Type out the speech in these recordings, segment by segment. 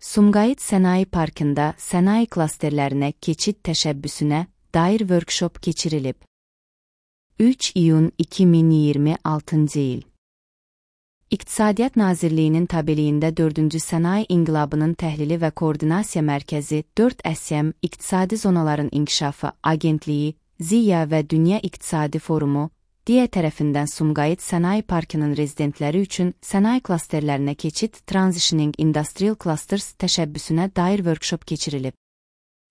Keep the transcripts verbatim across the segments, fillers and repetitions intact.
Sumqayıt Sənaye Parkında sənaye klasterlərinə keçid təşəbbüsünə dair workshop keçirilib. üç iyun iki min iyirmi altıncı il. İqtisadiyyat Nazirliyinin tabeliyində dördüncü Sənaye İnqilabının Təhlili və Koordinasiya Mərkəzi dörd S M İqtisadi Zonaların İnkişafı Agentliyi, Ziya və Dünya İqtisadi Forumu, D İ A tərəfindən Sumqayıt Sənaye Parkının rezidentləri üçün sənaye klasterlərinə keçid Transitioning Industrial Clusters təşəbbüsünə dair workshop keçirilib.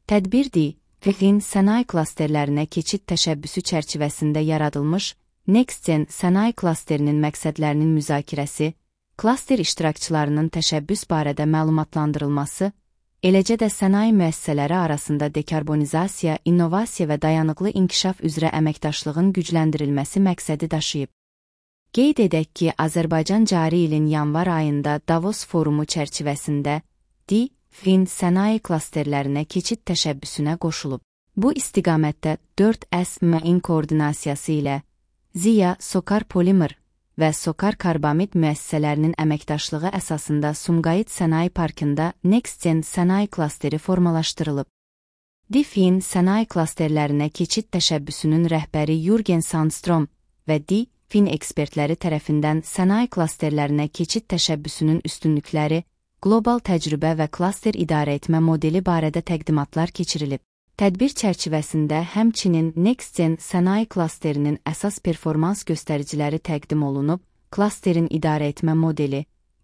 Tədbir D İ A-nin sənaye klasterlərinə keçid təşəbbüsü çərçivəsində yaradılmış NextGen sənaye klasterinin məqsədlərinin müzakirəsi, klaster iştirakçılarının təşəbbüs barədə məlumatlandırılması, eləcə də sənaye müəssisələri arasında dekarbonizasiya, innovasiya və dayanıqlı inkişaf üzrə əməkdaşlığın gücləndirilməsi məqsədi daşıyıb. Qeyd edək ki, Azərbaycan cari ilin yanvar ayında Davos forumu çərçivəsində D İ A-nin sənaye klasterlərinə keçid təşəbbüsünə qoşulub. Bu istiqamətdə dörd S M-in koordinasiyası ilə Ziya, Sokar Polimer və Sokar Karbamid müəssisələrinin əməkdaşlığı əsasında Sumqayıt Sənaye Parkında NextGen sənaye klasteri formalaşdırılıb. D İ A-nin sənaye klasterlərinə keçid təşəbbüsünün rəhbəri Jürgen Sandstrom və D İ A-nin ekspertləri tərəfindən sənaye klasterlərinə keçid təşəbbüsünün üstünlükləri, qlobal təcrübə və klaster idarəetmə modeli barədə təqdimatlar keçirilib. Tədbir çərçivəsində həmçinin NextGen sənaye klasterinin əsas performans göstəriciləri təqdim olunub, klasterin idarəetmə modeli,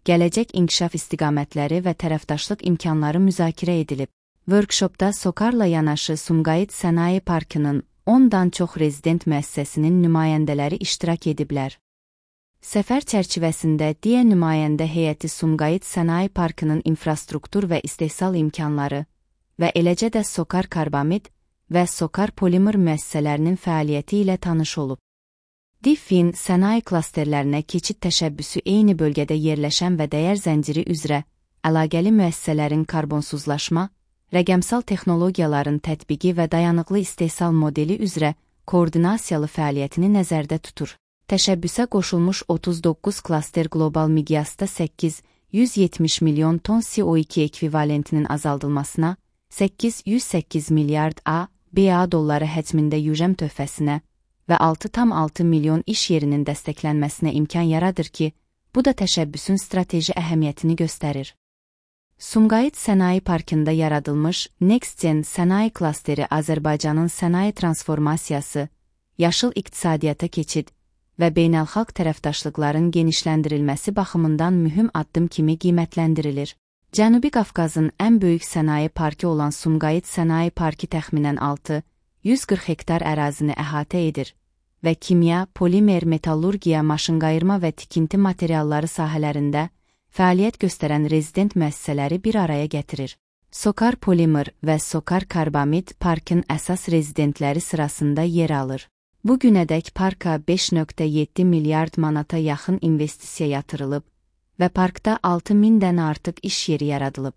gələcək inkişaf istiqamətləri və tərəfdaşlıq imkanları müzakirə edilib. Workshopda Sokarla yanaşı Sumqayıt Sənaye Parkının ondan çox rezident müəssisəsinin nümayəndələri iştirak ediblər. Səfər çərçivəsində D İ A nümayəndə heyəti Sumqayıt Sənaye Parkının infrastruktur və istehsal imkanları və eləcə də Sokar Karbamid və Sokar Polimer müəssisələrinin fəaliyyəti ilə tanış olub. D İ A-nin sənaye klasterlərinə keçid təşəbbüsü eyni bölgədə yerləşən və dəyər zənciri üzrə əlaqəli müəssisələrin karbonsuzlaşma, rəqəmsal texnologiyaların tətbiqi və dayanıqlı istehsal modeli üzrə koordinasiyalı fəaliyyətini nəzərdə tutur. Təşəbbüsə qoşulmuş otuz doqquz klaster qlobal miqyasda səkkiz yüz yetmiş milyon ton C O iki ekvivalentinin azaldılmasına, səkkiz yüz səkkiz milyard A B A dolları həcmində yüzəm töhfəsinə və altı tam altı milyon iş yerinin dəstəklənməsinə imkan yaradır ki, bu da təşəbbüsün strateji əhəmiyyətini göstərir. Sumqayıt Sənaye Parkında yaradılmış NextGen sənaye klasteri Azərbaycanın sənaye transformasiyası, yaşıl iqtisadiyyata keçid və beynəlxalq tərəfdaşlıqların genişləndirilməsi baxımından mühüm addım kimi qiymətləndirilir. Cənubi Qafqazın ən böyük sənaye parkı olan Sumqayıt Sənaye Parkı təxminən altı yüz qırx hektar ərazini əhatə edir və kimya, polimer, metallurgiya, maşınqayırma və tikinti materialları sahələrində fəaliyyət göstərən rezident müəssisələri bir araya gətirir. Sokar Polimer və Sokar Karbamid parkın əsas rezidentləri sırasında yer alır. Bu günədək parka beş nöqtə yeddi milyard manata yaxın investisiya yatırılıb və parkda altı mindən artıq iş yeri yaradılıb.